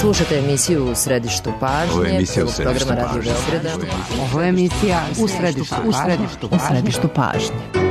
Slušate emisiju U središtu pažnje, programa Radio Beograda. Ovo je emisija U središtu pažnje.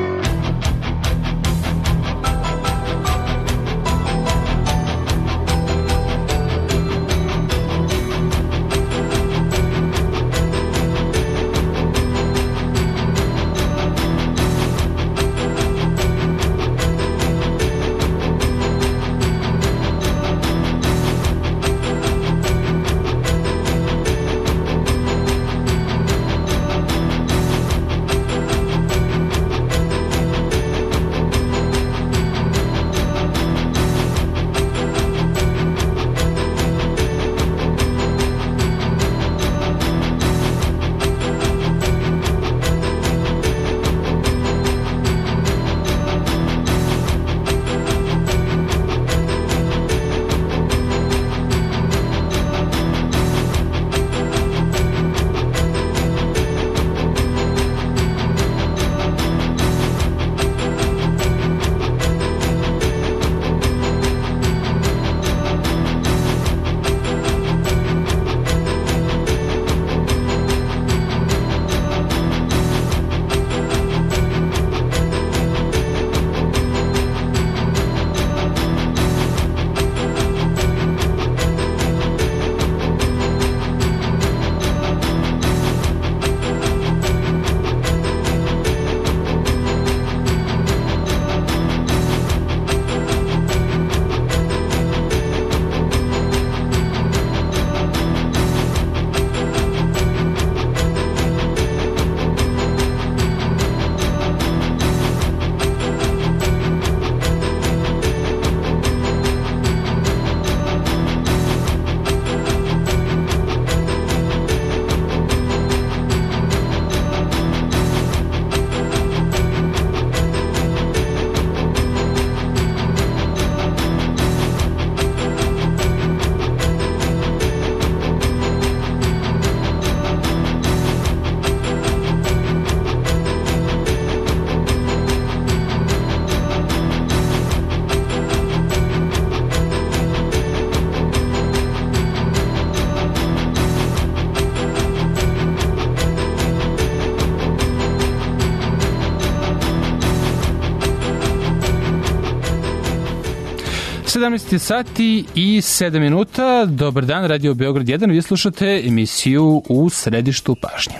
Sati i 7 minuta. Dobar dan, Radio Beograd 1. Vi slušate emisiju U središtu pažnje.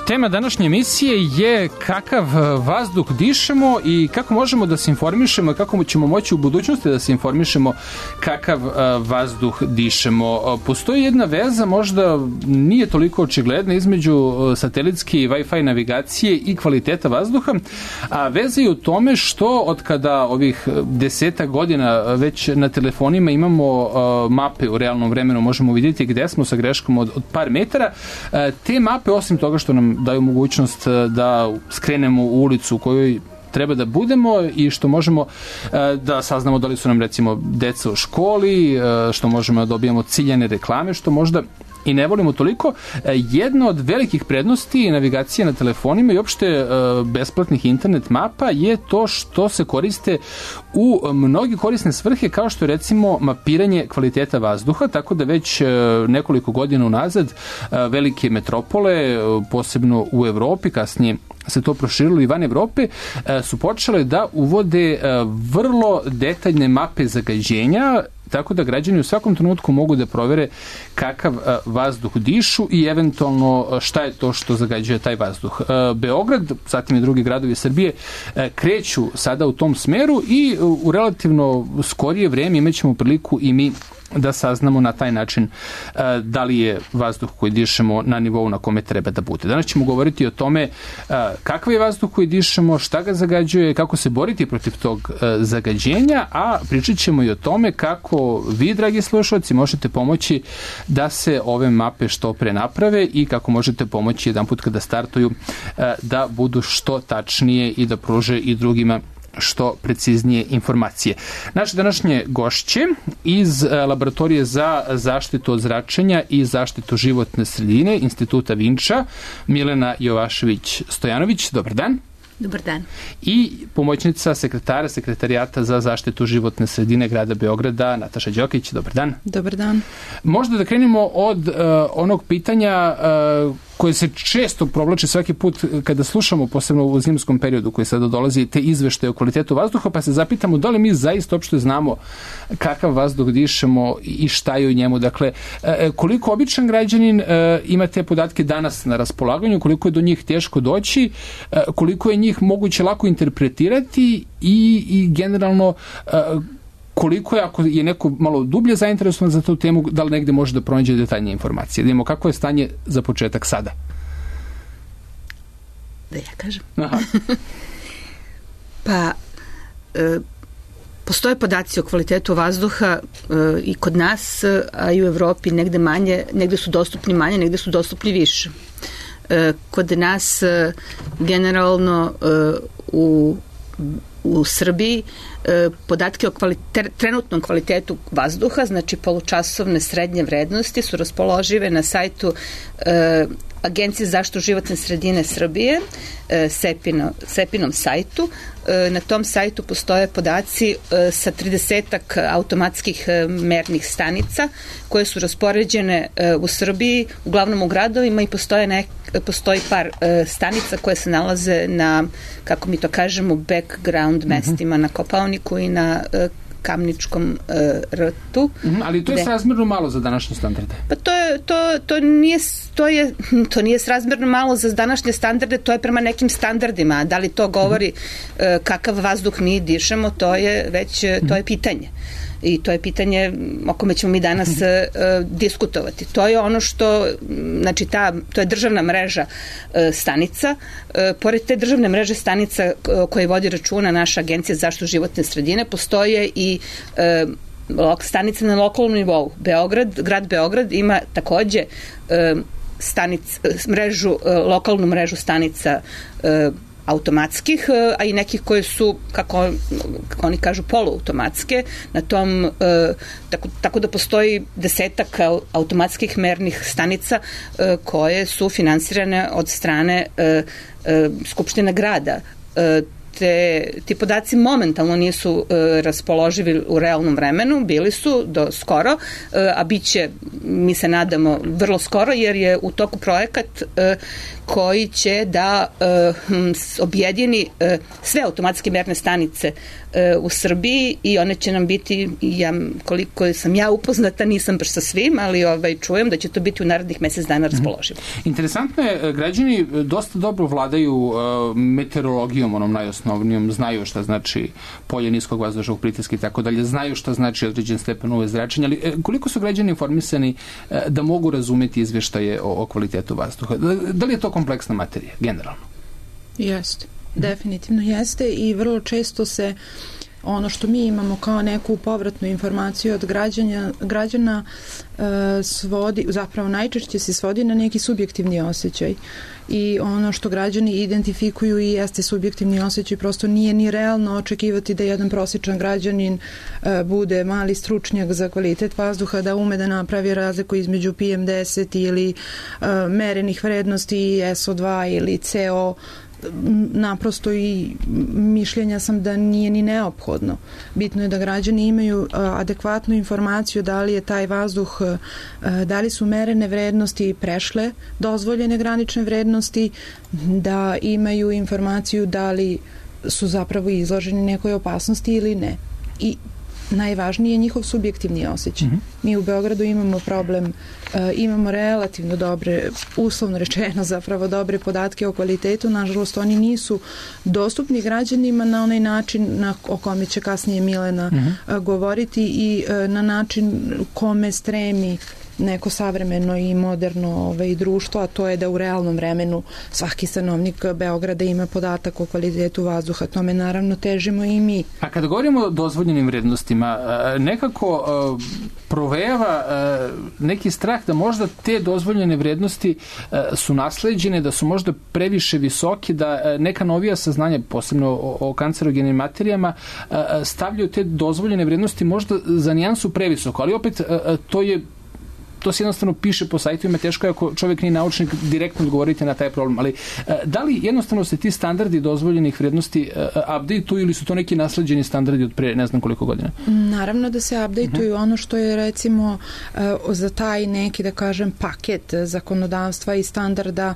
Tema današnje emisije je kakav vazduh dišemo i kako možemo da se informišemo i kako ćemo moći u budućnosti da se informišemo kakav vazduh dišemo. Postoji jedna veza, možda nije toliko očigledna, između satelitske i Wi-Fi navigacije i kvaliteta vazduha, a veza je u tome što od kada ovih 10 godina već na telefonima imamo mape u realnom vremenu, možemo vidjeti gde smo sa greškom od par metara. Te mape, osim toga što nam daju mogućnost da skrenemo u ulicu u kojoj treba da budemo i što možemo da saznamo da li su nam recimo deca u školi, što možemo da dobijemo ciljane reklame, što možda i ne volimo toliko. Jedna od velikih prednosti navigacije na telefonima i opšte besplatnih internet mapa je to što se koriste u mnogi korisne svrhe, kao što je recimo mapiranje kvaliteta vazduha, tako da već nekoliko godina unazad velike metropole, posebno u Evropi, kasnije se to proširilo i van Evrope, su počele da uvode vrlo detaljne mape zagađenja, tako da građani u svakom trenutku mogu da provere kakav vazduh dišu i eventualno šta je to što zagađuje taj vazduh. Beograd, zatim i drugi gradovi Srbije kreću sada u tom smeru i u relativno skorije vreme imaćemo priliku i mi da saznamo na taj način da li je vazduh koji dišemo na nivou na kome treba da bude. Danas ćemo govoriti o tome kakav je vazduh koji dišemo, šta ga zagađuje, kako se boriti protiv tog zagađenja, a pričat ćemo i o tome kako vi, dragi slušalci, možete pomoći da se ove mape što pre naprave i kako možete pomoći jedan put kada startuju da budu što tačnije i da pruže i drugima što preciznije informacije. Naše današnje gošće iz Laboratorije za zaštitu od zračenja i zaštitu životne sredine Instituta Vinča, Milena Jovašević-Stojanović. Dobar dan. Dobar dan. I pomoćnica sekretarijata za zaštitu životne sredine grada Beograda, Nataša Đokić. Dobar dan. Dobar dan. Možda da krenemo od onog pitanja koje se često provlači svaki put kada slušamo, posebno u zimskom periodu koji sada dolazi, te izveštaje o kvalitetu vazduha, pa se zapitamo da li mi zaista uopšte znamo kakav vazduh dišemo i šta je u njemu. Dakle, koliko običan građanin ima te podatke danas na raspolaganju, koliko je do njih teško doći, koliko je njih moguće lako interpretirati i generalno koliko je, ako je neko malo dublje zainteresovan za tu temu, da li negde može da pronađe detaljnije informacije. Da vidimo kako je stanje za početak sada. Da ja kažem. Aha. Pa, postoje podaci o kvalitetu vazduha i kod nas, a i u Evropi negde manje, negde su dostupni manje, negde su dostupni više. Kod nas generalno u Srbiji podatke o trenutnom kvalitetu vazduha, znači polučasovne srednje vrednosti, su raspoložive na sajtu Agencije za zaštitu životne sredine Srbije, SEPInom sajtu. Na tom sajtu postoje podaci sa 30-ak automatskih mernih stanica koje su raspoređene u Srbiji, uglavnom u gradovima, i postoji par stanica koje se nalaze na, kako mi to kažemo, background mestima, na Kopaoniku i na Kamničkom rtu. Ali to je srazmjerno malo za današnje standarde. Pa to nije srazmjerno malo za današnje standarde, to je prema nekim standardima. Da li to govori kakav vazduh mi dišemo, to je pitanje. I to je pitanje o kome ćemo mi danas diskutovati. To je ono što, znači to je državna mreža stanica. Pored te državne mreže stanica koje vodi računa naša Agencija za zaštitu životne sredine, postoje i stanice na lokalnom nivou. Grad Beograd ima takođe lokalnu mrežu stanica automatskih, a i nekih koje su, kako oni kažu, poluautomatske. Na tom, tako da postoji 10-ak automatskih mernih stanica koje su finansirane od strane Skupštine grada. Ti podaci momentalno nisu raspoloživi u realnom vremenu, bili su do skoro, a bit će, mi se nadamo, vrlo skoro, jer je u toku projekat koji će da objedini sve automatske merne stanice u Srbiji i one će nam biti, koliko sam ja upoznata, nisam baš sa svim, ali čujem da će to biti u narednih mesec dana raspoloživo. Interesantno je, građani dosta dobro vladaju meteorologijom, onom najosnovnijom, znaju šta znači polje niskog vazdušnog pritiska i tako dalje, znaju šta znači određen stepen UV zračenja, ali koliko su građani informisani da mogu razumeti izveštaje o kvalitetu vazduha? Da li je to kompleksna materija, generalno? Jeste, definitivno jeste, i vrlo često se ono što mi imamo kao neku povratnu informaciju od građana svodi, zapravo najčešće se svodi na neki subjektivni osjećaj, i ono što građani identifikuju i jeste subjektivni osjećaj, prosto nije ni realno očekivati da jedan prosječan građanin bude mali stručnjak za kvalitet vazduha, da ume da napravi razliku između PM10 ili merenih vrednosti SO2 ili CO. Naprosto i mišljenja sam da nije ni neophodno. Bitno je da građani imaju adekvatnu informaciju da li je taj vazduh, da li su merene vrednosti prešle dozvoljene granične vrednosti, da imaju informaciju da li su zapravo izloženi nekoj opasnosti ili ne. I najvažniji je njihov subjektivni osjećaj. Mi u Beogradu imamo problem, imamo relativno dobre, uslovno rečeno zapravo dobre podatke o kvalitetu, nažalost oni nisu dostupni građanima na onaj način o kome će kasnije Milena govoriti i na način kome stremi neko savremeno i moderno društvo, a to je da u realnom vremenu svaki stanovnik Beograda ima podatak o kvalitetu vazduha. Tome naravno težimo i mi. A kada govorimo o dozvoljenim vrednostima, nekako provejava neki strah da možda te dozvoljene vrednosti su nasleđene, da su možda previše visoke, da neka novija saznanja, posebno o kancerogenim materijama, stavljaju te dozvoljene vrednosti možda za nijansu previsoko, ali opet to se jednostavno piše po sajtovima, teško je ako čovjek nije naučnik direktno odgovoriti na taj problem, ali da li jednostavno se ti standardi dozvoljenih vrednosti update-uju ili su to neki nasleđeni standardi od pre ne znam koliko godina? Naravno da se update-uju. Ono što je recimo za taj neki, da kažem, paket zakonodavstva i standarda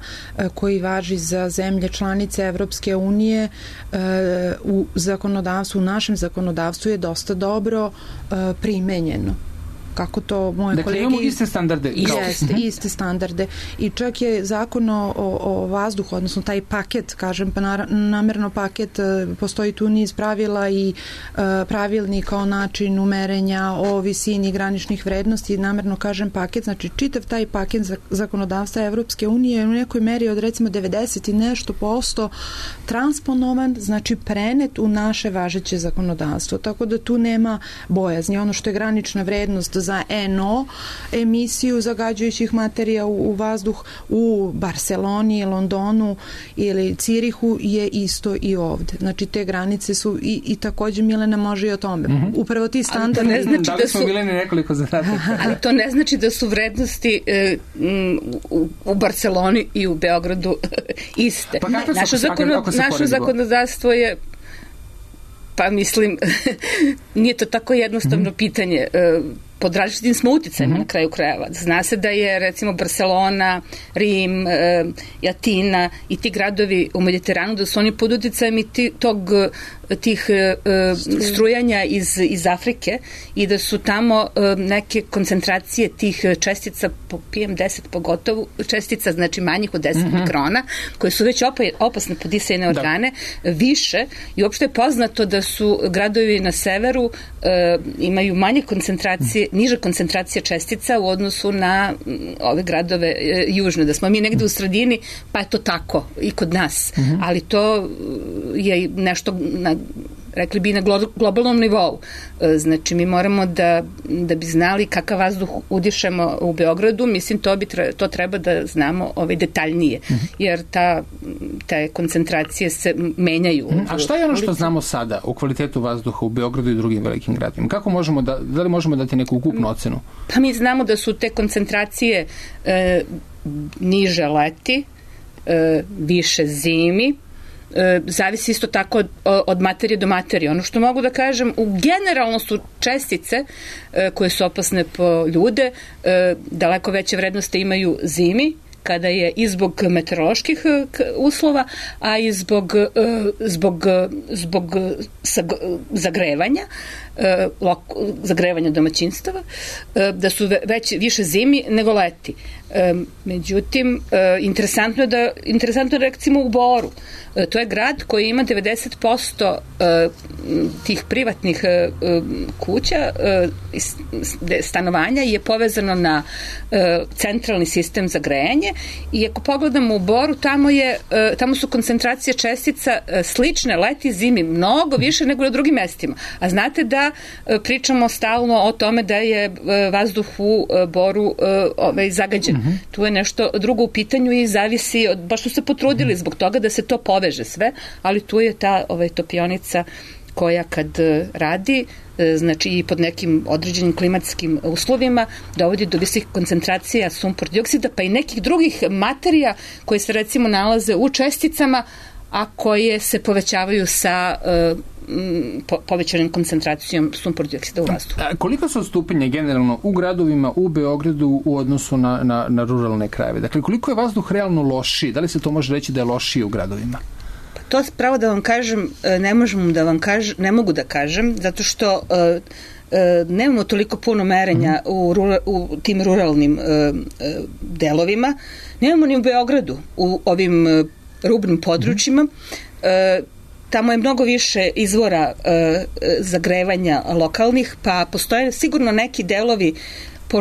koji važi za zemlje članice Evropske unije u zakonodavstvu, u našem zakonodavstvu je dosta dobro primenjeno. Kako to moje kolege... Dakle, imamo iste standarde. Iste standarde. I čak je zakon o vazduhu, odnosno taj paket, kažem, pa namerno paket, postoji tu niz pravila i pravilnika o načinu merenja, o visini graničnih vrednosti, namerno kažem paket, znači čitav taj paket zakonodavstva Evropske unije je u nekoj meri od recimo 90 i nešto % transponovan, znači prenet u naše važeće zakonodavstvo. Tako da tu nema bojazni. Ono što je granična vrednost za NO emisiju zagađujućih materija u vazduh u Barceloni, Londonu ili Cirihu je isto i ovde. Znači te granice su i takođe Milena može i o tome. Upravo ti standardi... Ne znači da li smo Mileni nekoliko zadataka? Ali to ne znači da su vrednosti u Barceloni i u Beogradu iste. Pa naše zakonodavstvo je pa mislim nije to tako jednostavno pitanje. Pod različitim smo uticajima na kraju krajeva. Zna se da je recimo Barcelona, Rim, Atina i ti gradovi u Mediteranu, da su oni pod uticajem i tih strujanja iz Afrike i da su tamo neke koncentracije tih čestica po PM10 pogotovo, čestica znači manjih od 10 mikrona, koje su već opasne po disajne organe, više i uopšte je poznato da su gradovi na severu imaju manje koncentracije, niže koncentracije čestica u odnosu na ove gradove južne, da smo mi negde u sredini, pa je to tako i kod nas, ali to je nešto rekli bi na globalnom nivou. Znači, mi moramo da bi znali kakav vazduh udišemo u Beogradu, mislim, to treba da znamo detaljnije, jer te koncentracije se menjaju. A šta je ono što znamo sada o kvalitetu vazduha u Beogradu i drugim velikim gradovima? Kako možemo da li možemo dati neku ukupnu ocenu? Pa mi znamo da su te koncentracije niže leti, više zimi, zavisi isto tako od materije do materije. Ono što mogu da kažem, generalno su čestice koje su opasne po ljude, daleko veće vrednosti imaju zimi, kada je i zbog meteoroloških uslova, a i zbog zagrevanja domaćinstava, da su više zimi nego leti. Međutim, interesantno je recimo u Boru. To je grad koji ima 90% tih privatnih kuća, stanovanja je povezano na centralni sistem za grejanje i ako pogledamo u Boru, tamo su koncentracije čestica slične leti zimi, mnogo više nego na drugim mestima. A znate da pričamo stalno o tome da je vazduh u Boru zagađen. Tu je nešto drugo u pitanju i zavisi, baš su se potrudili zbog toga da se to poveže sve, ali tu je ta topionica koja kad radi, znači i pod nekim određenim klimatskim uslovima, dovodi do visokih koncentracija sumpor dioksida, pa i nekih drugih materija koje se recimo nalaze u česticama, a koje se povećavaju sa povećanim koncentracijom sumpor dioksida u vazduhu. Koliko su odstupanja generalno u gradovima, u Beogradu u odnosu na ruralne krajeve? Dakle, koliko je vazduh realno lošiji? Da li se to može reći da je lošiji u gradovima? To pravo da vam kažem, ne mogu da kažem, zato što nemamo toliko puno merenja u tim ruralnim delovima. Nemamo ni u Beogradu, u ovim rubnim područjima. Tamo je mnogo više izvora zagrevanja lokalnih, pa postoje sigurno neki delovi po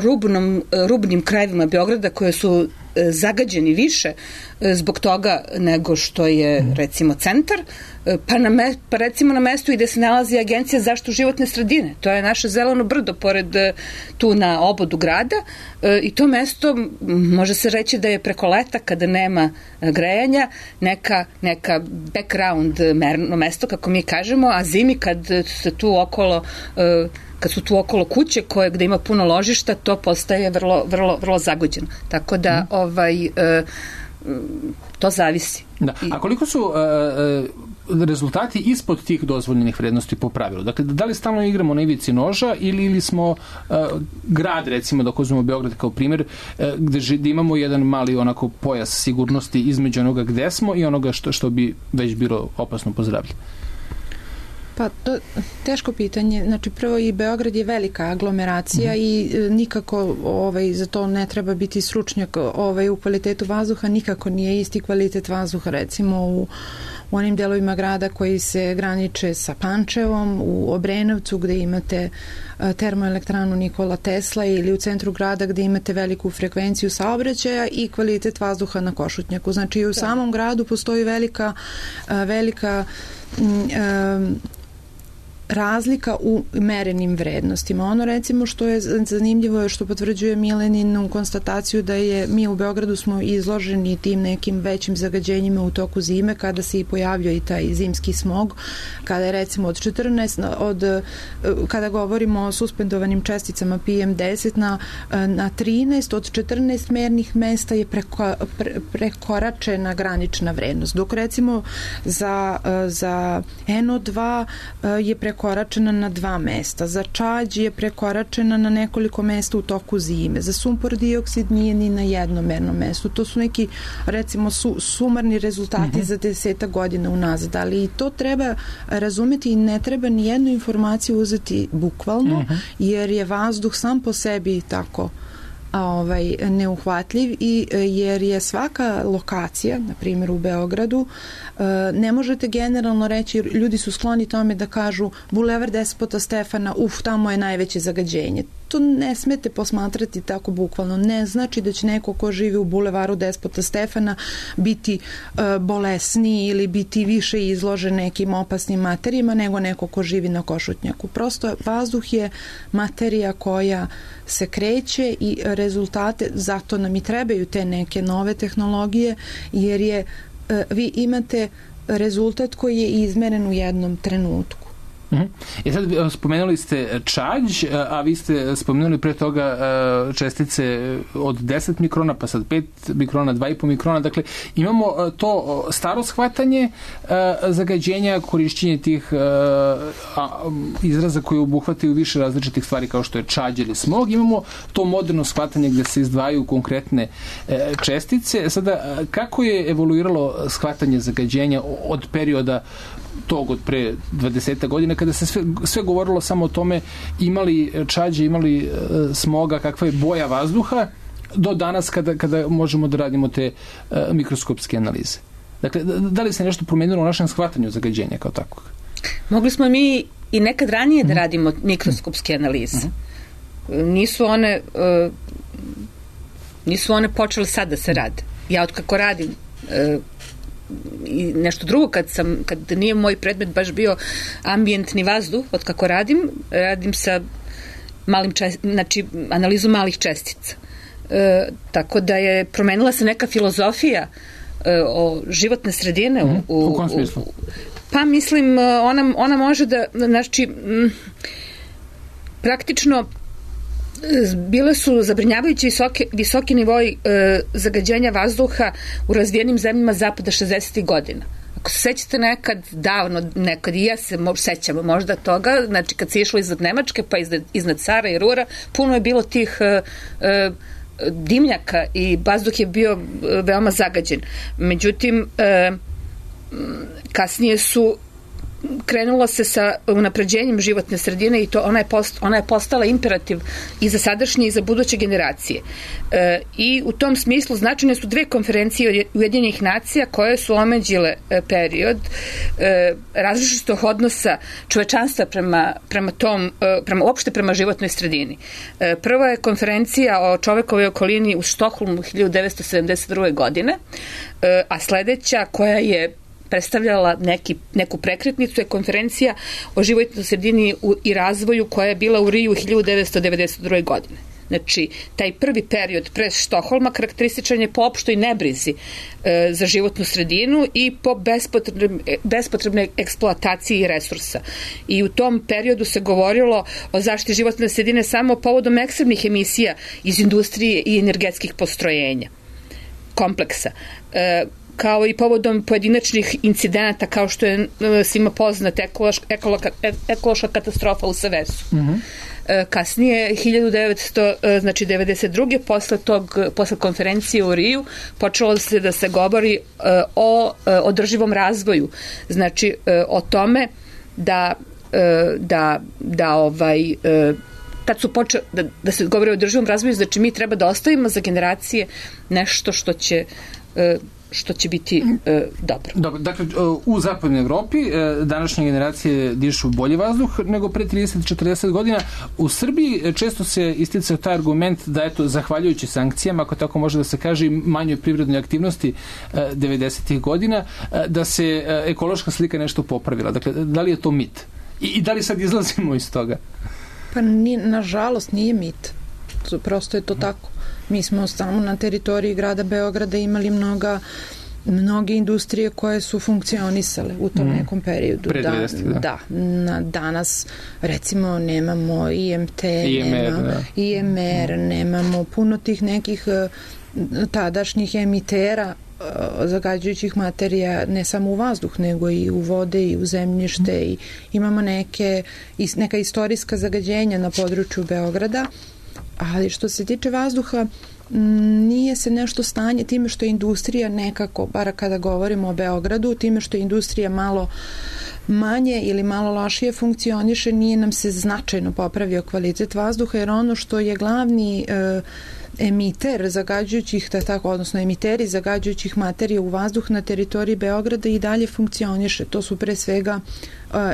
rubnim krajevima Beograda koje su zagađeni više zbog toga nego što je recimo centar, pa recimo na mestu i gde se nalazi Agencija za zaštitu životne sredine. To je naše zeleno brdo pored tu na obodu grada i to mesto može se reći da je preko leta kada nema grejanja neka background merno mesto kako mi kažemo, a zimi kad su tu okolo kuće gde ima puno ložišta, to postaje vrlo, vrlo, vrlo zagođeno. Tako da to zavisi. Da. A koliko su rezultati ispod tih dozvoljenih vrednosti po pravilu? Dakle, da li stalno igramo na ivici noža ili smo grad, recimo, da uzmemo Beograd kao primjer, gde imamo jedan mali onako pojas sigurnosti između onoga gde smo i onoga što bi već bilo opasno po zdravlje? Pa, to teško pitanje. Znači, prvo i Beograd je velika aglomeracija i nikako za to ne treba biti stručnjak u kvalitetu vazduha, nikako nije isti kvalitet vazduha, recimo u onim delovima grada koji se graniče sa Pančevom, u Obrenovcu gde imate termoelektranu Nikola Tesla ili u centru grada gde imate veliku frekvenciju saobraćaja i kvalitet vazduha na Košutnjaku. Znači, u samom gradu postoji velika razlika u merenim vrednostima. Ono recimo što je zanimljivo je što potvrđuje Mileninu konstataciju da mi u Beogradu smo izloženi tim nekim većim zagađenjima u toku zime kada se i pojavljuje i taj zimski smog, kada je recimo od 14 kada govorimo o suspendovanim česticama PM10 na 13 od 14 mernih mesta je prekoračena granična vrednost. Dok recimo za NO2 je prekoračena na 2 mesta. Za čađ je prekoračena na nekoliko mesta u toku zime. Za sumpor dioksid nije ni na jednom mernom mestu. To su neki, recimo, sumarni rezultati za 10 godina unazad. Ali i to treba razumeti i ne treba ni jednu informaciju uzeti bukvalno, jer je vazduh sam po sebi tako neuhvatljiv i jer je svaka lokacija, na primjer u Beogradu, ne možete generalno reći, ljudi su skloni tome da kažu Bulevar Despota Stefana, tamo je najveće zagađenje. To ne smete posmatrati tako bukvalno. Ne znači da će neko ko živi u Bulevaru Despota Stefana biti bolesniji ili biti više izložen nekim opasnim materijama nego neko ko živi na Košutnjaku. Prosto vazduh je materija koja se kreće i rezultate, zato nam i trebaju te neke nove tehnologije, jer vi imate rezultat koji je izmeren u jednom trenutku. I sad spomenuli ste čađ, a vi ste spomenuli pre toga čestice od 10 mikrona, pa sad 5 mikrona, 2,5 mikrona. Dakle, imamo to staro shvatanje zagađenja, korišćenje tih izraza koji obuhvataju više različitih stvari kao što je čađ ili smog. Imamo to moderno shvatanje gde se izdvajaju konkretne čestice. Sada, kako je evoluiralo shvatanje zagađenja od perioda tog od pre 20 godina kada se sve govorilo samo o tome imali čađe, imali smoga, kakva je boja vazduha, do danas kada možemo da radimo te mikroskopske analize. Dakle, da li se nešto promenilo u našem shvatanju zagađenja kao takvog? Mogli smo mi i nekad ranije da radimo mikroskopske analize. Nisu one počele sad da se rade. Ja otkako radim i nešto drugo, kad nije moj predmet baš bio ambijentni vazduh, od kako radim sa analizu malih čestica. Tako da je promenila se neka filozofija o životne sredine. U kom smislu? Pa mislim, ona može da, znači, praktično bile su zabrinjavajući visoki nivoi zagađenja vazduha u razvijenim zemljama zapada 60. godina. Ako se sećate nekad i ja se sećam možda toga, znači kad se išlo iznad Nemačke pa iznad Cara i Rura, puno je bilo tih dimnjaka i vazduh je bio veoma zagađen. Međutim, kasnije su krenulo se sa unapređenjem životne sredine i to ona je postala imperativ i za sadašnje i za buduće generacije. I u tom smislu značajne su 2 konferencije Ujedinjenih nacija koje su omeđile period različitog odnosa čovečanstva prema životnoj sredini. Prva je konferencija o čovekovoj okolini u Štokholmu 1972. godine, a sledeća koja je predstavljala neku prekretnicu je konferencija o životnoj sredini i razvoju koja je bila u Riju 1992. godine. Znači, taj prvi period pre Štokholma karakterističan je po opštoj nebrizi za životnu sredinu i po bespotrebnoj eksploataciji resursa. I u tom periodu se govorilo o zaštiti životne sredine samo povodom ekstremnih emisija iz industrije i energetskih postrojenja, kompleksa, kao i povodom pojedinačnih incidenata kao što je svima poznata ekološka katastrofa u Sevesu. Kasnije, 1992. posle konferencije u Riju, počelo se da se govori o održivom razvoju. Znači, o tome da se govori o održivom razvoju, znači mi treba da ostavimo za generacije nešto što će biti dobro. Dobro, dakle, u zapadnoj Evropi današnje generacije dišu bolji vazduh nego pre 30-40 godina. U Srbiji često se isticao taj argument da, eto, zahvaljujući sankcijama, ako tako može da se kaže, i manjoj privrednoj aktivnosti 90. godina, da se ekološka slika nešto popravila. Dakle, da li je to mit? I da li sad izlazimo iz toga? Pa, nažalost, nije mit. Prosto je to tako. Mi smo samo na teritoriji grada Beograda imali mnoge industrije koje su funkcionisale u tom nekom periodu. Pre 90, da. Danas, recimo, nemamo IMT, IMR, nemamo puno tih nekih tadašnjih emitera zagađujućih materija, ne samo u vazduh, nego i u vode i u zemljište, i imamo neka istorijska zagađenja na području Beograda. Ali što se tiče vazduha, nije se nešto stanje time što je industrija nekako, bar kada govorimo o Beogradu, time što je industrija malo manje ili malo lošije funkcioniše, nije nam se značajno popravio kvalitet vazduha, jer ono što je glavni emiter zagađujućih, odnosno emiteri zagađujućih materija u vazduh na teritoriji Beograda i dalje funkcioniše. To su pre svega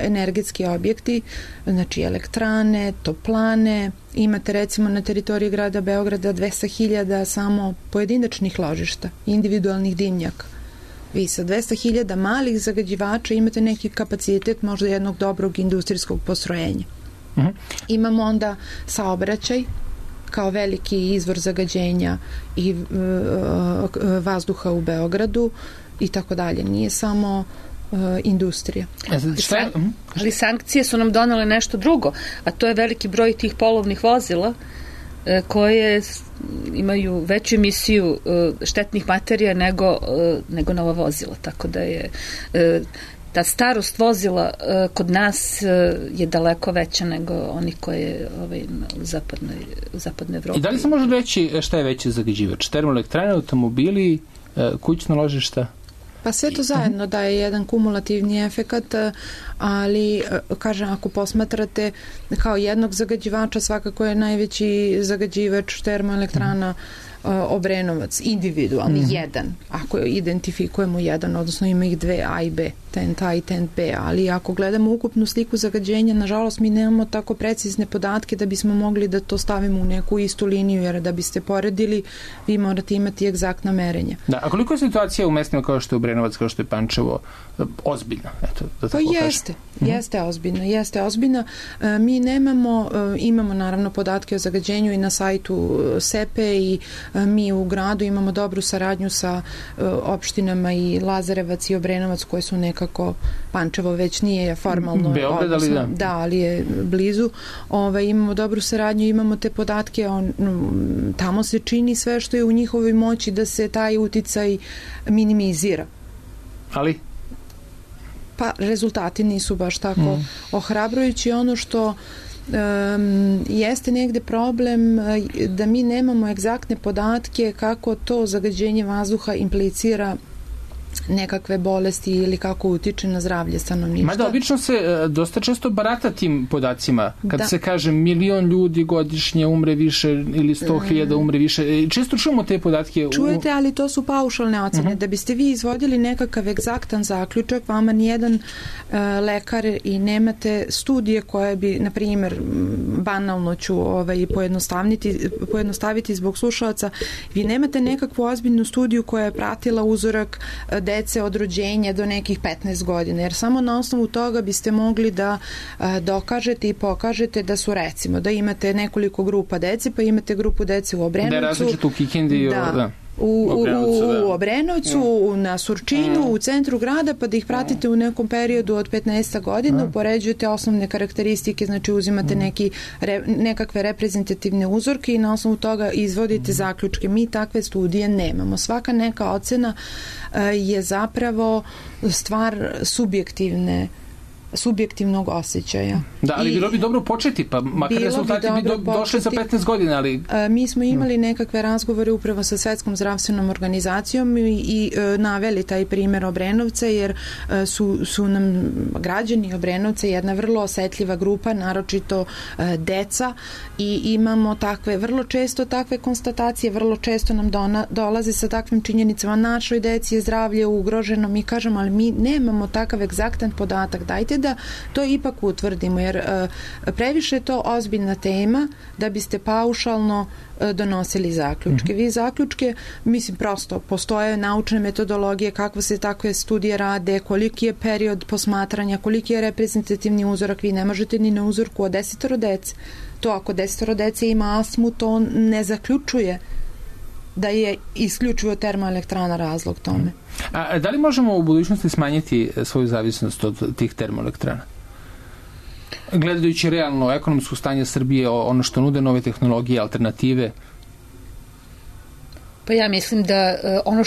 energetski objekti, znači elektrane, toplane. Imate recimo na teritoriji grada Beograda 200.000 samo pojedinačnih ložišta, individualnih dimnjaka. Vi sa 200.000 malih zagađivača imate neki kapacitet možda jednog dobrog industrijskog postrojenja. Imamo onda saobraćaj kao veliki izvor zagađenja i vazduha u Beogradu i tako dalje. Nije samo industrija. Ali sankcije su nam donale nešto drugo, a to je veliki broj tih polovnih vozila koje imaju veću emisiju štetnih materija nego nova vozila. Tako da je ta starost vozila kod nas je daleko veća nego oni koje u zapadnoj Evropi. I da li se može reći šta je veći zagađivač? Termoelektrane, automobili, kućna ložišta? Pa sve to zajedno daje jedan kumulativni efekat, ali, kažem, ako posmatrate kao jednog zagađivača, svakako je najveći zagađivač termoelektrana Obrenovac, individualni, jedan, ako identifikujemo jedan, odnosno ima ih 2 A i B, tent A i tent B, ali ako gledamo ukupnu sliku zagađenja, nažalost mi nemamo tako precizne podatke da bismo mogli da to stavimo u neku istu liniju, jer da biste poredili, vi morate imati egzaktna merenja. Da, a koliko je situacija u mestima kao što je Obrenovac, kao što je Pančevo, ozbiljna? Pa jeste ozbiljna. Mi imamo naravno podatke o zagađenju i na sajtu SEPE i mi u gradu imamo dobru saradnju sa opštinama i Lazarevac i Obrenovac koje su nekako, Pančevo već nije formalno, Beograd, ali da, ali je blizu. Imamo dobru saradnju, imamo te podatke, tamo se čini sve što je u njihovoj moći da se taj uticaj minimizira. Ali? Pa rezultati nisu baš tako ohrabrujući. Ono što jeste negde problem da mi nemamo egzaktne podatke kako to zagađenje vazduha implicira nekakve bolesti ili kako utiče na zdravlje stanovništva. Mada obično se dosta često barata tim podacima. Kad se kaže 1.000.000 ljudi godišnje umre više ili 100.000 umre više. Često čujemo te podatke. Čujete, ali to su paušalne ocene. Da biste vi izvodili nekakav egzaktan zaključak, vama nijedan lekar i nemate studije koje bi, na primjer, banalno ću pojednostaviti zbog slušalaca, vi nemate nekakvu ozbiljnu studiju koja je pratila uzorak dece od rođenja do nekih 15 godina, jer samo na osnovu toga biste mogli da dokažete i pokažete da su, recimo, da imate nekoliko grupa dece, pa imate grupu dece u Obrenovcu. Da je različito u Kikindi. U Obrenovcu, na Surčinu, u centru grada, pa da ih pratite u nekom periodu od 15 godina, upoređujete osnovne karakteristike, znači uzimate nekakve reprezentativne uzorke i na osnovu toga izvodite zaključke. Mi takve studije nemamo. Svaka neka ocena je zapravo stvar subjektivnog osjećaja. Da, ali bilo bi dobro početi, pa makar rezultati bi došli za 15 godina, ali... Mi smo imali nekakve razgovore upravo sa Svetskom zdravstvenom organizacijom i naveli taj primjer Obrenovca, jer su nam građani Obrenovca jedna vrlo osetljiva grupa, naročito deca, i imamo vrlo često takve konstatacije, vrlo često nam dolaze sa takvim činjenicama, našoj deci je zdravlje ugroženo, mi kažemo, ali mi nemamo takav egzaktan podatak, dajte da to ipak utvrdimo, jer previše je to ozbiljna tema da biste paušalno donosili zaključke. Vi zaključke, mislim, prosto postoje naučne metodologije, kako se takve studije rade, koliki je period posmatranja, koliki je reprezentativni uzorak, vi ne možete ni na uzorku od 10 dece. To ako 10 dece ima astmu, to ne zaključuje da je isključivo termoelektrana razlog tome. A da li možemo u budućnosti smanjiti svoju zavisnost od tih termoelektrana? Gledajući realno ekonomsko stanje Srbije, ono što nude nove tehnologije, alternative? Pa ja mislim da ono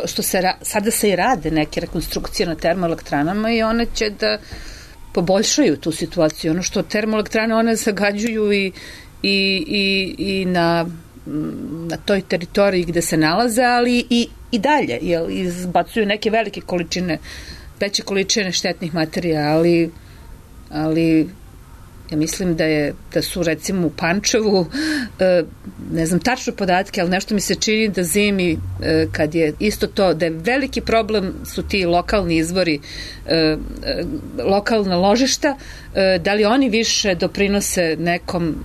što sada se i rade neke rekonstrukcije na termoelektranama i one će da poboljšaju tu situaciju. Ono što termoelektrane one zagađuju i na toj teritoriji gde se nalaze, ali i dalje, jer izbacuju neke veće količine štetnih materija, ali ja mislim da su recimo u Pančevu, ne znam tačno podatke, ali nešto mi se čini da zimi, kad je isto to, da je veliki problem su ti lokalni izvori, lokalna ložišta, da li oni više doprinose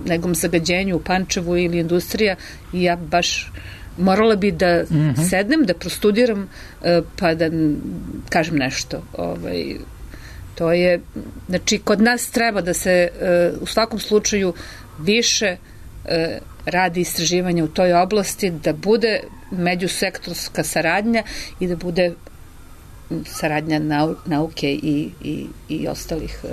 nekom zagađenju u Pančevu ili industrija, i ja baš morala bi da sednem, da prostudiram, pa da kažem nešto. To je, znači, kod nas treba da se u svakom slučaju više radi istraživanja u toj oblasti, da bude međusektorska saradnja i da bude saradnja nauke i ostalih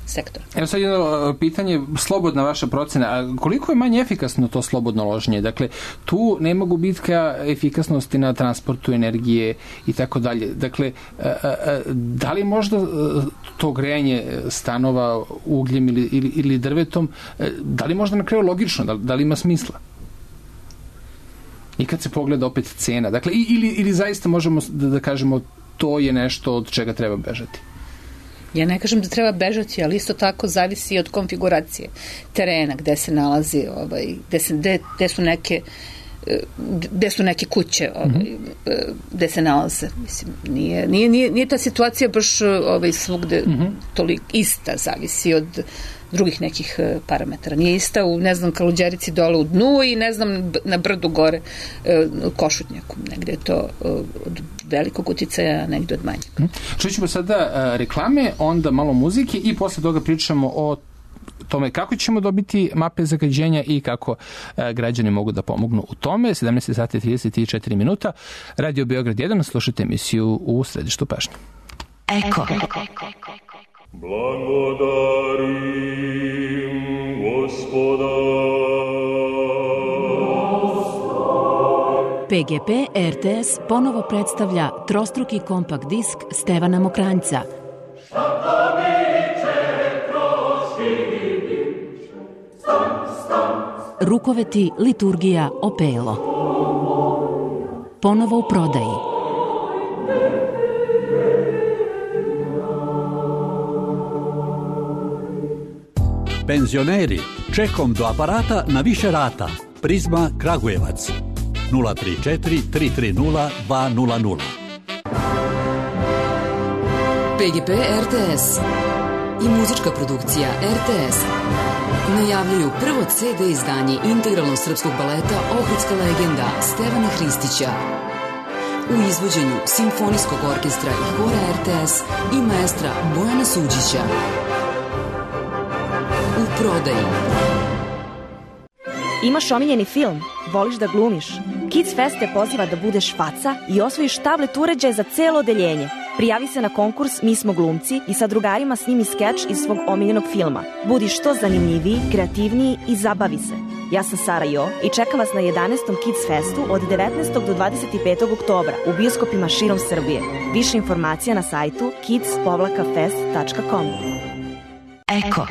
sektora. Evo sad jedno pitanje, slobodna vaša procena, a koliko je manje efikasno to slobodno loženje? Dakle, tu nema gubitka efikasnosti na transportu energije i tako dalje. Dakle, da li možda to grejanje stanova ugljem ili drvetom, da li možda na kraju logično, da li ima smisla? I kad se pogleda opet cena, dakle, ili zaista možemo da kažemo to je nešto od čega treba bežati? Ja ne kažem da treba bežati, ali isto tako zavisi od konfiguracije terena, gde se nalazi, gde su neke kuće, gde se nalaze. Mislim, nije ta situacija baš svugde toliko ista, zavisi od drugih nekih parametara. Nije ista u, ne znam, Kaluđerici dole u dnu i ne znam na brdu gore u Košutnjaku. Negde je to od velikog uticaja, negde od manjeg. Čućemo sada reklame, onda malo muzike i posle toga pričamo o tome kako ćemo dobiti mape zagađenja i kako građani mogu da pomognu u tome. 17:34 Radio Beograd 1, slušajte emisiju U središtu pažnje. Eko. Blagodarim Gospoda. PGP RTS ponovo predstavlja trostruki kompakt disk Stevana Mokranjca. Rukoveti, liturgija, opelo. Ponovo u prodaji. Penzioneri, čekom do aparata na više rata. Prizma Kragujevac 034 330 200. PGP RTS i muzička produkcija RTS najavljuju prvo CD izdanje integralnog srpskog baleta Ohridska legenda Stevana Hristića u izvođenju Simfonijskog orkestra i hora RTS i maestra Bojana Suđića. U prodaji. Imaš omiljeni film? Voliš da glumiš? Kids Fest te poziva da budeš faca i osvojiš tablet uređaje za celo odeljenje. Prijavi se na konkurs Mi smo glumci i sa drugarima snimi skeč iz svog omiljenog filma. Budi što zanimljiviji, kreativniji i zabavi se. Ja sam Sara Jo i čekam vas na 11. Kids Festu od 19. do 25. oktobra u bioskopima širom Srbije. Više informacija na sajtu kids-fest.com. Eko.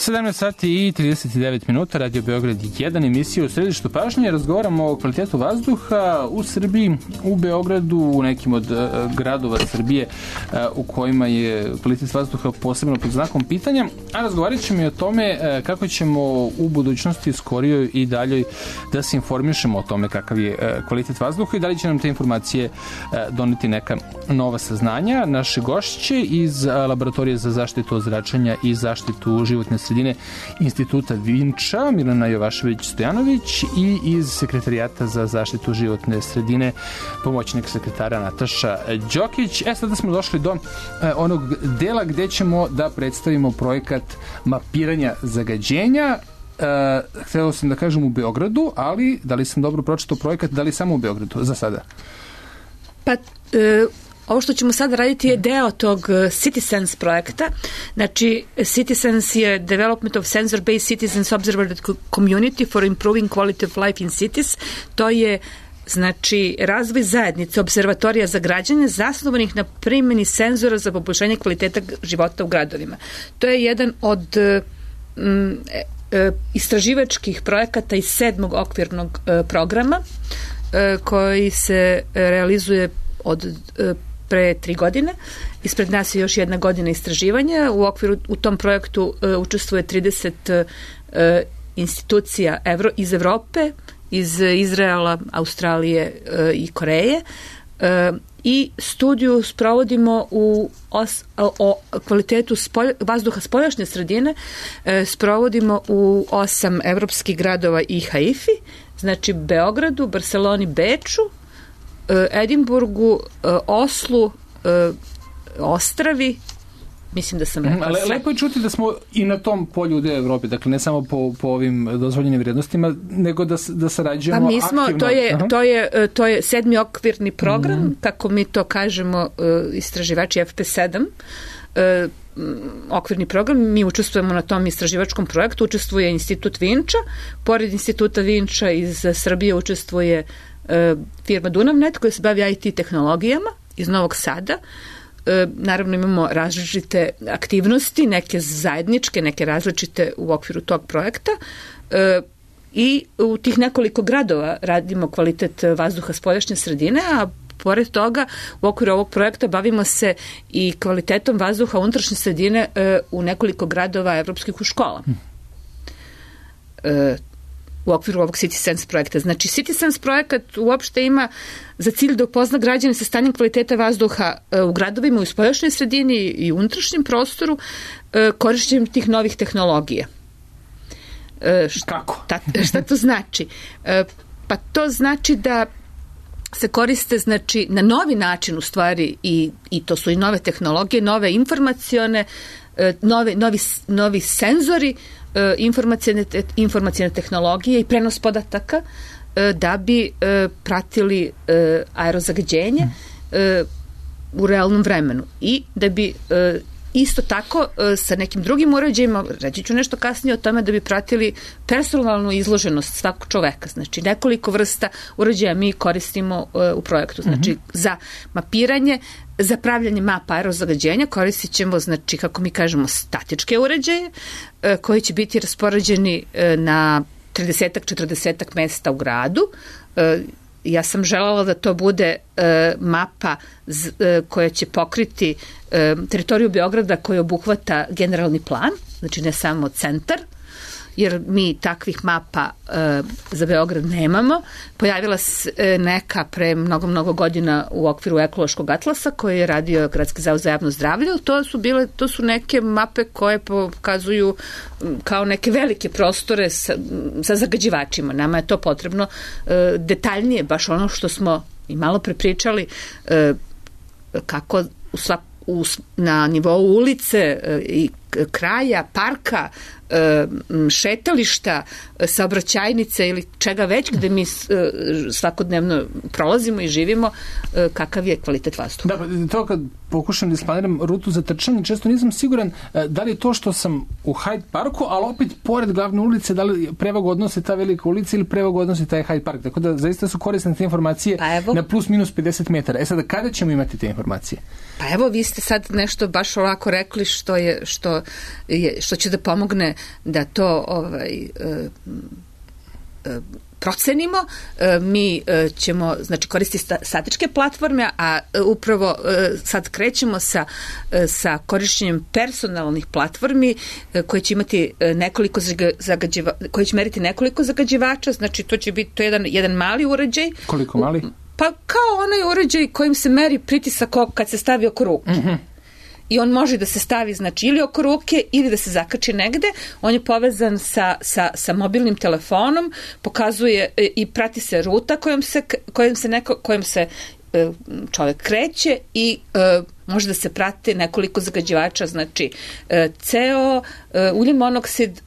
17 sati i 39 minuta, Radio Beograd 1, emisija u središtu pažnje. Razgovaramo o kvalitetu vazduha u Srbiji, u Beogradu, u nekim od gradova Srbije u kojima je kvalitet vazduha posebno pod znakom pitanja, a razgovarat ćemo i o tome kako ćemo u budućnosti skorijoj i daljoj da se informišemo o tome kakav je kvalitet vazduha i da li će nam te informacije doneti neka nova saznanja. Naše gošće iz Laboratorije za zaštitu od zračenja i zaštitu životne sredine Instituta Vinča, Milena Jovašević-Stojanović, i iz Sekretarijata za zaštitu životne sredine pomoćnik sekretara Nataša Đokić. Sada smo došli do onog dela gde ćemo da predstavimo projekat mapiranja zagađenja. Hteo sam da kažem u Beogradu, ali da li sam dobro pročitao projekat, da li samo u Beogradu za sada? Pa, ovo što ćemo sada raditi je deo tog CitySense projekta. Znači, CitySense je Development of Sensor-Based Citizens Observatory Community for Improving Quality of Life in Cities. To je, znači, razvoj zajednice observatorija za građane zasnovanih na primjeni senzora za poboljšanje kvaliteta života u gradovima. To je jedan od istraživačkih projekata iz 7. okvirnog programa koji se realizuje od pre 3 godine. Ispred nas je još 1 godina istraživanja. U tom projektu učestvuje 30 institucija iz Evrope, iz Izraela, Australije i Koreje. I studiju sprovodimo o kvalitetu vazduha spoljašnje sredine, sprovodimo u 8 evropskih gradova i Haifi, znači Beogradu, Barceloni, Beču, Edinburgu, Oslu, Ostravi, mislim da sam rekla sve. Lepo je čuti da smo i na tom polju u Evropi, dakle ne samo po ovim dozvoljenim vrijednostima, nego da sarađujemo pa mi smo, aktivno. To je 7. okvirni program, kako mi to kažemo istraživači FP7, okvirni program. Mi učestvujemo na tom istraživačkom projektu, učestvuje Institut Vinča, pored Instituta Vinča iz Srbije učestvuje firma Dunavnet koja se bavi IT tehnologijama iz Novog Sada. Naravno imamo različite aktivnosti, neke zajedničke, neke različite u okviru tog projekta i u tih nekoliko gradova radimo kvalitet vazduha spoljašnje sredine, a pored toga u okviru ovog projekta bavimo se i kvalitetom vazduha unutrašnje sredine u nekoliko gradova evropskih u škola. U okviru ovog CitySense projekta. Znači, CitySense projekat uopšte ima za cilj da upozna građane sa stanjem kvaliteta vazduha u gradovima, u spoljašnjoj sredini i u unutrašnjem prostoru korišćenjem tih novih tehnologija. Kako? Šta to znači? Pa to znači da se koriste, znači, na novi način u stvari i to su i nove tehnologije, nove informacione, novi senzori, informacijne tehnologije i prenos podataka da bi pratili aerozagađenje u realnom vremenu i da bi isto tako sa nekim drugim uređajima, reći ću nešto kasnije o tome, da bi pratili personalnu izloženost svakog čoveka. Znači, nekoliko vrsta uređaja mi koristimo u projektu. Znači, za mapiranje, za pravljanje mapa aerozagađenja koristit ćemo, znači, kako mi kažemo, statičke uređaje koji će biti raspoređeni na 30-40 mesta u gradu. Ja sam želela da to bude mapa koja će pokriti teritoriju Beograda koja obuhvata generalni plan, znači ne samo centar, jer mi takvih mapa za Beograd nemamo. Pojavila se neka pre mnogo godina u okviru ekološkog atlasa koji je radio Gradski zavod za javno zdravlje. To su neke mape koje pokazuju kao neke velike prostore sa zagađivačima. Nama je to potrebno detaljnije, baš ono što smo i malo prepričali, kako na nivou ulice i kraja, parka, šetališta, saobraćajnice ili čega već gde mi svakodnevno prolazimo i živimo, kakav je kvalitet vazduha. Da, to kad pokušam da isplaniram rutu za trčanje, često nisam siguran da li je to što sam u Hyde Parku, ali opet pored glavne ulice, da li prevagu odnosi ta velika ulica ili prevagu odnosi taj Hyde Park. Tako da zaista su korisne te informacije na plus minus 50 metara. Sada, kada ćemo imati te informacije? Pa evo, vi ste sad nešto baš ovako rekli što će da pomogne da to procenimo. Mi ćemo koristiti statičke platforme, a upravo sad krećemo sa korišćenjem personalnih platformi koje će imati nekoliko koje će meriti nekoliko zagađivača, znači to će biti jedan mali uređaj. Koliko mali? Pa kao onaj uređaj kojim se meri pritisak kad se stavi oko ruke. I on može da se stavi ili oko ruke ili da se zakači negde. On je povezan sa mobilnim telefonom, pokazuje i prati se ruta kojom se čovek kreće i može da se prate nekoliko zagađivača, znači CO, ugljen monoksid,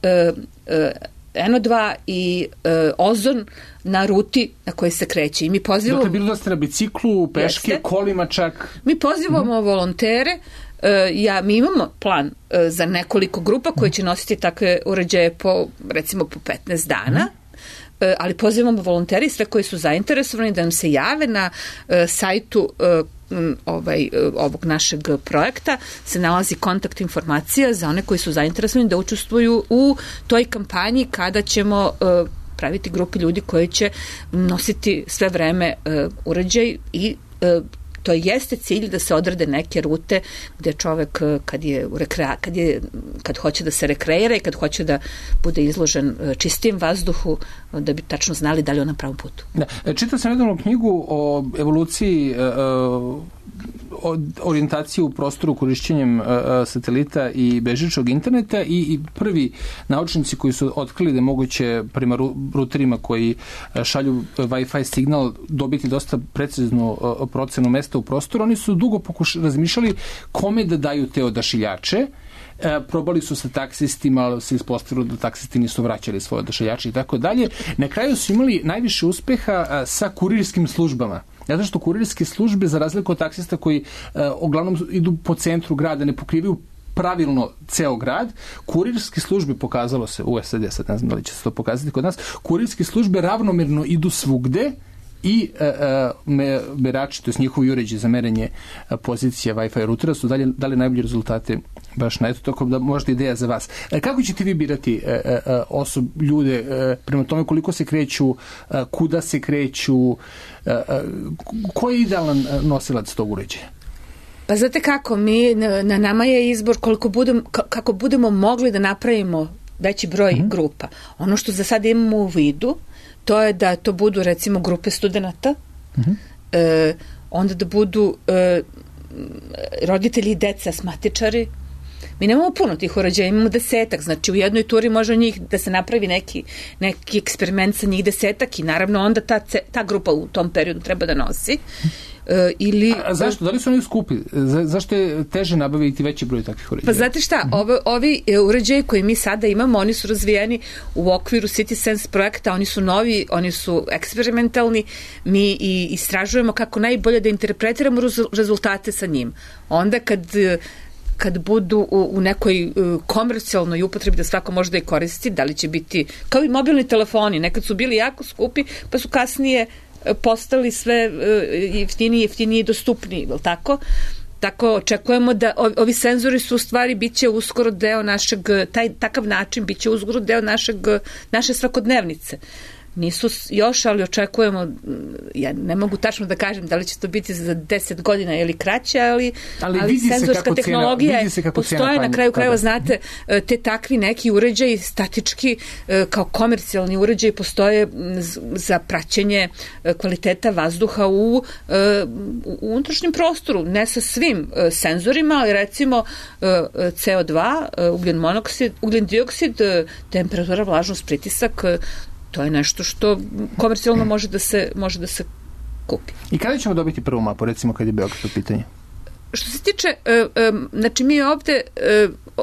NO2 i ozon na ruti na kojoj se kreće. I mi pozivamo... Dakle, bilo da ste na biciklu, peške, kolima čak... Mi pozivamo volontere. Mi imamo plan za nekoliko grupa koje će nositi takve uređaje recimo po 15 dana, ali pozivamo volonteri sve koji su zainteresovani da nam se jave na sajtu ovog našeg projekta se nalazi kontakt informacija za one koji su zainteresovani da učestvuju u toj kampanji kada ćemo praviti grupi ljudi koji će nositi sve vreme uređaj i to jeste cilj da se odrade neke rute gde čovek kad hoće da se rekreira i kad hoće da bude izložen čistijem vazduhu, da bi tačno znali da li je on na pravom putu. Čitao sam jednu knjigu o evoluciji orijentaciju u prostoru korišćenjem satelita i bežičnog interneta i prvi naučnici koji su otkrili da je moguće prema ruterima koji šalju Wi-Fi signal dobiti dosta preciznu procenu mesta u prostoru, oni su dugo razmišljali kome da daju te odašiljače. Probali su sa taksistima, ali se ispostavilo da taksisti nisu vraćali svoje odašiljače i tako dalje. Na kraju su imali najviše uspeha sa kurirskim službama. Zato što kurirske službe, za razliku od taksista koji uglavnom idu po centru grada, ne pokrivaju pravilno ceo grad, kurirske službe, pokazalo se u SAD, sad ne znam da li će se to pokazati kod nas, kurirske službe ravnomerno idu svugde i merači, to je njihovi uređaji za merenje pozicija Wi-Fi rutera su dali najbolje rezultate baš na eto, tako da možda ideja za vas. Kako ćete vi birati ljude prema tome koliko se kreću, kuda se kreću, ko je idealan nosilac tog uređaja? Pa znate kako, na nama je izbor kako budemo mogli da napravimo veći broj grupa. Ono što za sad imamo u vidu, to je da to budu recimo grupe studenata, onda da budu roditelji i deca asmatičari. Mi nemamo puno tih uređaja, imamo 10, znači u jednoj turi može njih da se napravi neki eksperiment sa njih 10 i naravno onda ta grupa u tom periodu treba da nosi. A zašto? Da li su oni skupi? Zašto je teže nabaviti veći broj takvih uređaja? Pa znate šta, ovi uređaji koji mi sada imamo, oni su razvijeni u okviru CitySense projekta, oni su novi, oni su eksperimentalni, mi i istražujemo kako najbolje da interpretiramo rezultate sa njim. Onda kad budu u nekoj komercijalnoj upotrebi da svako može da je koristi, da li će biti, kao i mobilni telefoni, nekad su bili jako skupi, pa su kasnije postali sve jeftiniji i dostupniji, je li tako? Tako očekujemo da ovi senzori su u stvari biće uskoro deo našeg, takav način biće uskoro deo naše svakodnevnice. Nisu još, ali očekujemo, ja ne mogu tačno da kažem da li će to biti za 10 godina ili kraće, ali senzorska tehnologija postoje, na kraju krajeva, znate, te takvi neki uređaji statički kao komercijalni uređaji postoje za praćenje kvaliteta vazduha u unutrašnjem prostoru, ne sa svim senzorima, ali recimo CO2, ugljen monoksid, ugljen dioksid, temperatura, vlažnost, pritisak, to je nešto što komercijalno može da se kupi. I kada ćemo dobiti prvu mapu, recimo kad je Beograd u pitanju? Što se tiče, znači mi ovde,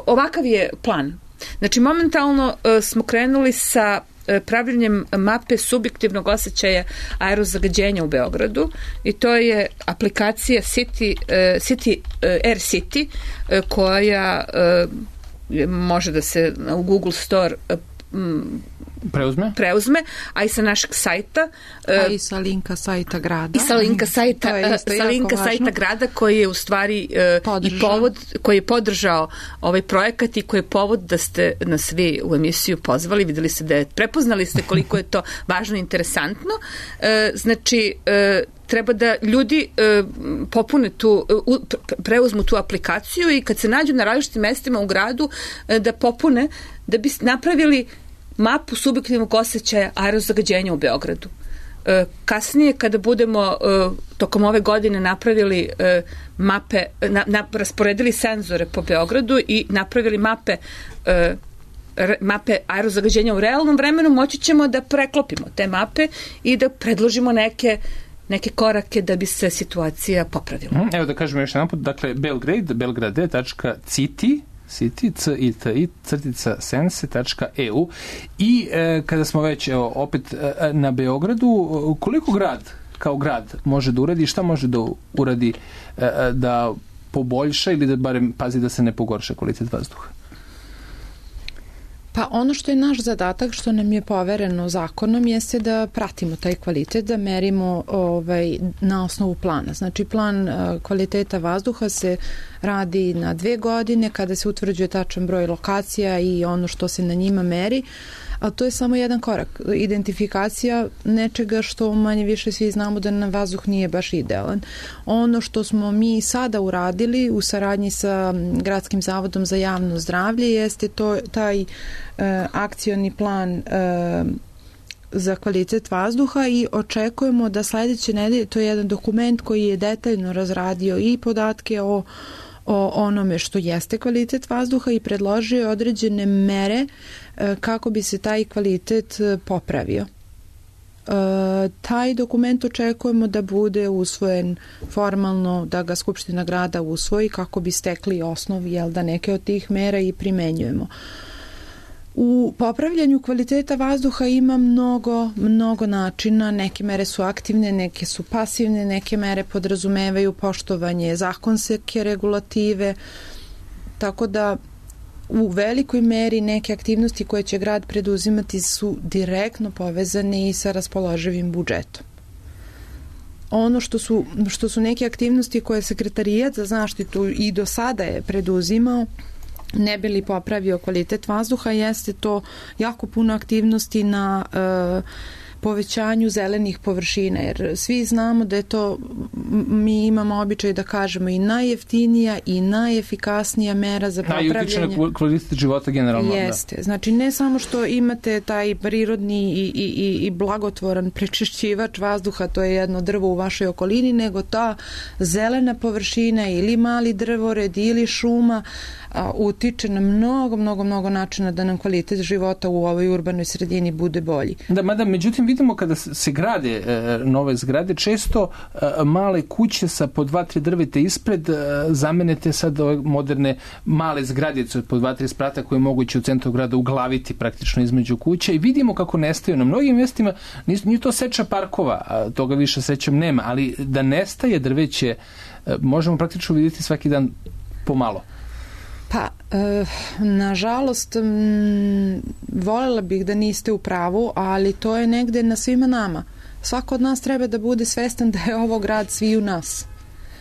ovakav je plan. Znači momentalno smo krenuli sa pravljenjem mape subjektivnog osjećaja aerozagađenja u Beogradu i to je aplikacija Air City koja može da se u Google Store preuzme, a i sa našeg sajta. A i sa linka sajta grada. I sa linka sajta grada koji je u stvari i povod, koji je podržao ovaj projekat i koji je povod da ste nas vi u emisiju pozvali. Videli ste da prepoznali ste koliko je to važno i interesantno. Znači, treba da ljudi popune preuzmu tu aplikaciju i kad se nađu na različitim mestima u gradu da popune, da bi napravili mapu subjektivnog osjećaja aerozagađenja u Beogradu. Kasnije, kada budemo tokom ove godine napravili mape, rasporedili senzore po Beogradu i napravili mape aerozagađenja u realnom vremenu, moći ćemo da preklopimo te mape i da predložimo neke korake da bi se situacija popravila. Evo da kažemo još jedan put, dakle belgrade.city sense.eu i kada smo već opet na Beogradu, koliko grad kao grad može da uradi, šta može da uradi da poboljša ili da barem pazi da se ne pogorša kvalitet vazduha? Pa ono što je naš zadatak, što nam je povereno zakonom, jeste da pratimo taj kvalitet, da merimo na osnovu plana. Znači, plan kvaliteta vazduha se radi na 2 godine kada se utvrđuje tačan broj lokacija i ono što se na njima meri, ali to je samo jedan korak. Identifikacija nečega što manje više svi znamo da nam vazduh nije baš idealan. Ono što smo mi sada uradili u saradnji sa Gradskim zavodom za javno zdravlje jeste taj akcioni plan za kvalitet vazduha i očekujemo da sledeće nedelje, to je jedan dokument koji je detaljno razradio i podatke o onome što jeste kvalitet vazduha i predložio određene mere kako bi se taj kvalitet popravio. Taj dokument očekujemo da bude usvojen formalno, da ga Skupština grada usvoji kako bi stekli osnov da neke od tih mera i primenjujemo. U popravljanju kvaliteta vazduha ima mnogo načina, neke mere su aktivne, neke su pasivne, neke mere podrazumevaju poštovanje zakonske regulative, tako da u velikoj meri neke aktivnosti koje će grad preduzimati su direktno povezane i sa raspoloživim budžetom. Ono što su neke aktivnosti koje Sekretarijat za zaštitu i do sada je preduzimao, ne bi li popravio kvalitet vazduha, jeste to jako puno aktivnosti na povećanju zelenih površina, jer svi znamo da je to, mi imamo običaj da kažemo, i najjeftinija i najefikasnija mera za popravljanje. Najutiče na kvalitet života generalno. Jeste. Da. Znači, ne samo što imate taj prirodni i blagotvoran prečišćivač vazduha, to je jedno drvo u vašoj okolini, nego ta zelena površina ili mali drvored ili šuma utiče na mnogo načina da nam kvalitet života u ovoj urbanoj sredini bude bolji. Da, mada međutim vidimo kada se grade nove zgrade, često male kuće sa po 2-3 drveta ispred zamenete sad ove moderne male zgradice od po 2-3 sprata koje je moguće u centru grada uglaviti praktično između kuća i vidimo kako nestaju. Na mnogim mjestima nije to seča parkova, toga više sećam nema, ali da nestaje drveće možemo praktično vidjeti svaki dan pomalo. Pa, nažalost, voljela bih da niste u pravu, ali to je negde na svima nama. Svako od nas treba da bude svestan da je ovo grad sviju nas.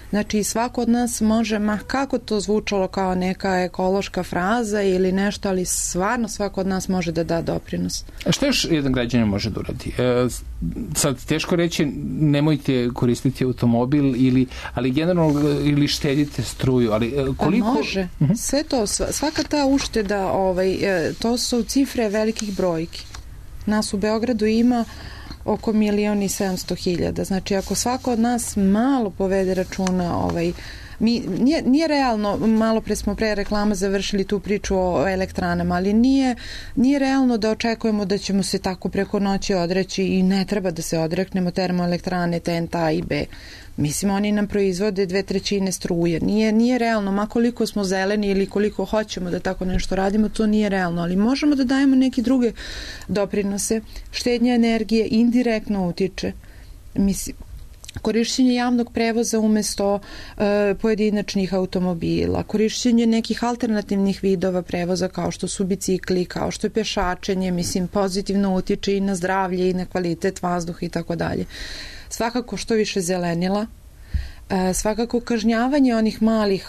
Znači, svako od nas može, kako to zvučalo kao neka ekološka fraza ili nešto, ali stvarno svako od nas može da da doprinos. A što još jedan građanin može da uradi? Sad, teško reći, nemojte koristiti automobil, ali generalno ili štedite struju, ali koliko... Pa može. Sve to, svaka ta ušteda, to su cifre velikih brojki. Nas u Beogradu ima oko 1.700.000. Znači, ako svako od nas malo povede računa, nije realno, malo pre smo pre reklama završili tu priču o elektranama, ali nije realno da očekujemo da ćemo se tako preko noći odreći i ne treba da se odreknemo termoelektrane TNT A i B. Mislim, oni nam proizvode 2/3 struje. Nije realno, ma koliko smo zeleni ili koliko hoćemo da tako nešto radimo, to nije realno, ali možemo da dajemo neke druge doprinose. Štednja energije indirektno utiče. Mislim, korišćenje javnog prevoza umesto pojedinačnih automobila, korišćenje nekih alternativnih vidova prevoza kao što su bicikli, kao što je pešačenje, mislim, pozitivno utiče i na zdravlje i na kvalitet vazduha i tako dalje. Svakako što više zelenila, svakako kažnjavanje onih malih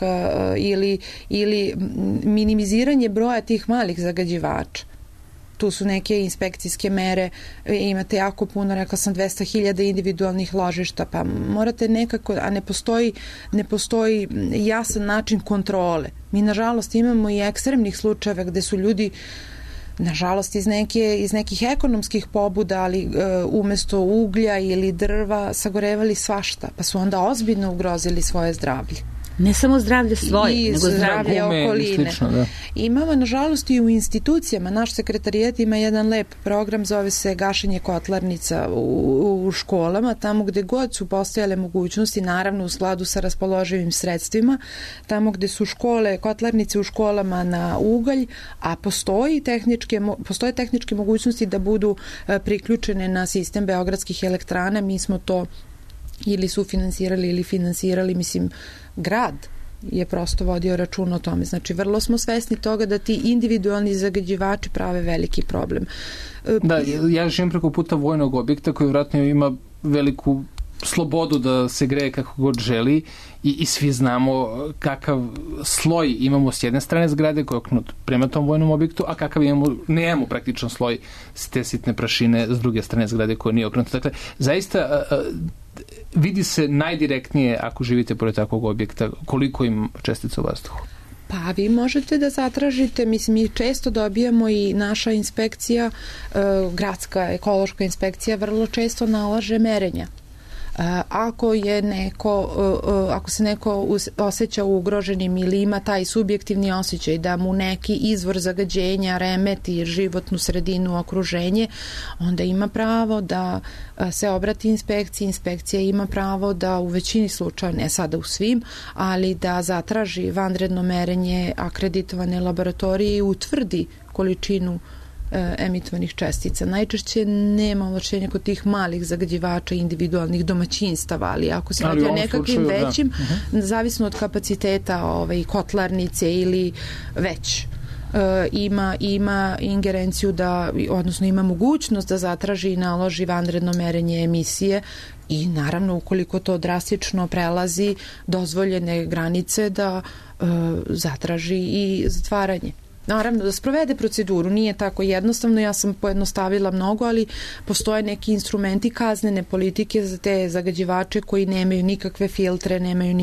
ili minimiziranje broja tih malih zagađivača. Tu su neke inspekcijske mere, imate jako puno, rekla sam 200.000 individualnih ložišta, pa morate nekako, a ne postoji jasan način kontrole. Mi nažalost imamo i ekstremnih slučajeva gde su ljudi nažalost iz nekih ekonomskih pobuda, ali umesto uglja ili drva sagorevali svašta, pa su onda ozbiljno ugrozili svoje zdravlje. Ne samo zdravlje svoje, nego zdravlje okoline. Slično, da. Imamo, nažalost, i u institucijama. Naš sekretarijat ima jedan lep program, zove se gašenje kotlarnica u školama, tamo gde god su postojale mogućnosti, naravno u skladu sa raspoloživim sredstvima, tamo gde su kotlarnice u školama na ugalj, a postoje tehničke mogućnosti da budu priključene na sistem beogradskih elektrana. Mi smo to ili sufinansirali ili finansirali, mislim, grad je prosto vodio račun o tome. Znači, vrlo smo svesni toga da ti individualni zagađivači prave veliki problem. Da, ja živim preko puta vojnog objekta koji vjerojatno ima veliku slobodu da se greje kako god želi i svi znamo kakav sloj imamo s jedne strane zgrade koji je okrenut prema tom vojnom objektu, a kakav nemamo praktičan sloj s te sitne prašine s druge strane zgrade koja nije okrenuta. Dakle, zaista vidi se najdirektnije ako živite pored takvog objekta koliko im čestica u vazduhu. Pa vi možete da zatražite, mislim, mi često dobijamo i naša inspekcija, gradska ekološka inspekcija vrlo često nalaže merenja. Ako se neko osjeća ugroženim ili ima taj subjektivni osjećaj da mu neki izvor zagađenja remeti životnu sredinu, okruženje, onda ima pravo da se obrati inspekciji. Inspekcija ima pravo da u većini slučaja, ne sada u svim, ali da zatraži vanredno merenje akreditovane laboratorije i utvrdi količinu emitovanih čestica. Najčešće nema ovlašćenja kod tih malih zagađivača individualnih domaćinstava, ali ako se radi o nekakvim većim, zavisno od kapaciteta kotlarnice ili već ima ingerenciju odnosno ima mogućnost da zatraži i naloži vanredno merenje emisije i naravno ukoliko to drastično prelazi dozvoljene granice da zatraži i zatvaranje. Naravno, da sprovede proceduru, nije tako jednostavno, ja sam pojednostavila mnogo, ali postoje neki instrumenti kaznene politike za te zagađivače koji nemaju nikakve filtre, nemaju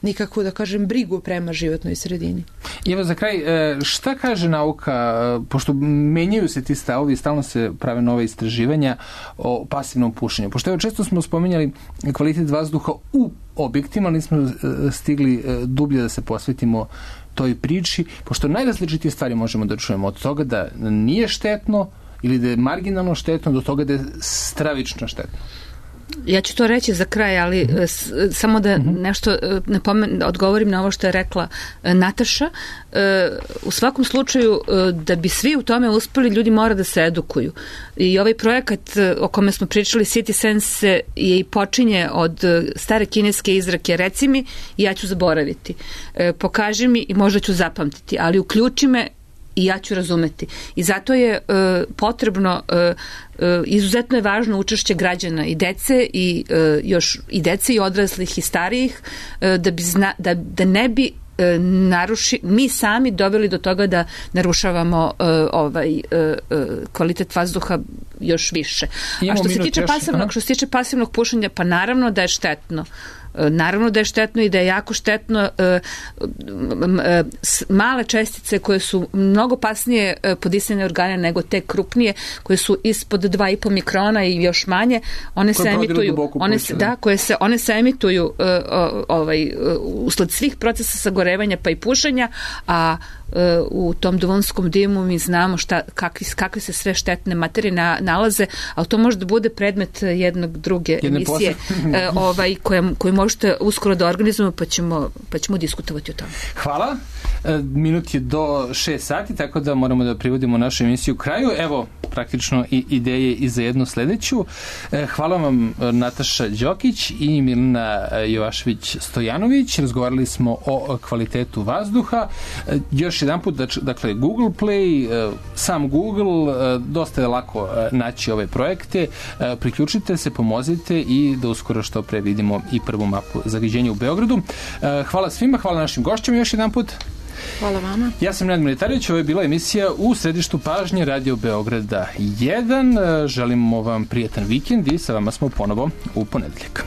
nikakvu, da kažem, brigu prema životnoj sredini. Evo za kraj, šta kaže nauka, pošto menjaju se ti stavovi, stalno se prave nove istraživanja o pasivnom pušenju, pošto evo često smo spominjali kvalitet vazduha u objektima, ali nismo stigli dublje da se posvetimo toj priči, pošto najrazličitije stvari možemo da čujemo od toga da nije štetno ili da je marginalno štetno do toga da je stravično štetno. Ja ću to reći za kraj, ali samo da nešto odgovorim na ovo što je rekla Nataša. U svakom slučaju, da bi svi u tome uspeli, ljudi mora da se edukuju. I ovaj projekat o kome smo pričali, City Sense, je i počinje od stare kineske izreke: reci mi i ja ću zaboraviti. Pokaži mi i možda ću zapamtiti, ali uključi me i ja ću razumeti. I zato je potrebno, izuzetno je važno učešće građana i dece i dece i odraslih i starijih, da ne bi mi sami doveli do toga da narušavamo kvalitet vazduha još više. A što se tiče pasivnog pušenja, pa naravno da je štetno. Naravno da je štetno i da je jako štetno. Male čestice koje su mnogo pasnije po disajne organe nego te krupnije, koje su ispod 2,5 mikrona i još manje, one se emituju. One se emituju usled svih procesa sagorevanja pa i pušenja, a u tom duvanskom dimu mi znamo kakve se sve štetne materije nalaze, ali to može da bude predmet druge emisije koju možete uskoro da organizujemo pa ćemo diskutovati o tome. Hvala. Minut je do 6 sati, tako da moramo da privodimo našu emisiju kraju. Evo, praktično i ideje i za jednu sledeću. Hvala vam Nataša Đokić i Milena Jovašević-Stojanović. Razgovarali smo o kvalitetu vazduha. Još jedan put, dakle, Google Play, sam Google, dosta je lako naći ove projekte. Priključite se, pomozite i da uskoro što pre vidimo i prvu mapu zagađenja u Beogradu. Hvala svima, hvala našim gošćama još jedan put. Hvala vama. Ja sam Nenad Militarević, ovo je bila emisija U središtu pažnje Radio Beograda 1. Želimo vam prijatan vikend i sa vama smo ponovo u ponedeljak.